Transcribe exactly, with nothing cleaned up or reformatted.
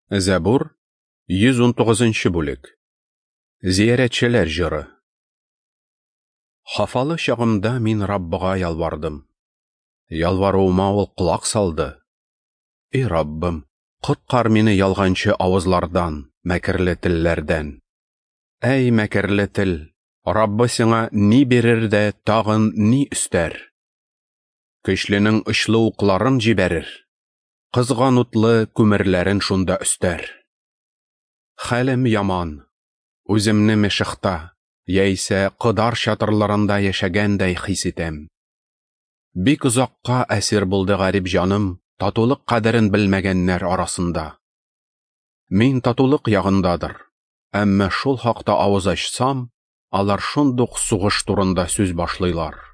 Зәбур, йөз унтугызынчы бүлек. Зиярәтчеләр җыры. Хафалы чагымда мин Раббыга ялвардым. Ялваруыма ул колак салды. Эй Раббым, коткар мине ялганчы авызлардан, мәкерле телләрдән. Әй мәкерле тел, Раббы сиңа ни бирер дә тагын ни өстәр? Көчленең очлы укларын җибәрер, кызган утлы күмерләрен шунда өстәр. Хәлем яман, үземне Мешехта, яисә Кыдар чатырларында яшәгәндәй хис итәм. Бик озакка әсир булды гарип җаным татулык кадерен белмәгәннәр арасында. Мин татулык ягындадыр, әмма шул хакта авыз ачсам, алар шундук сугыш турында сүз башлыйлар.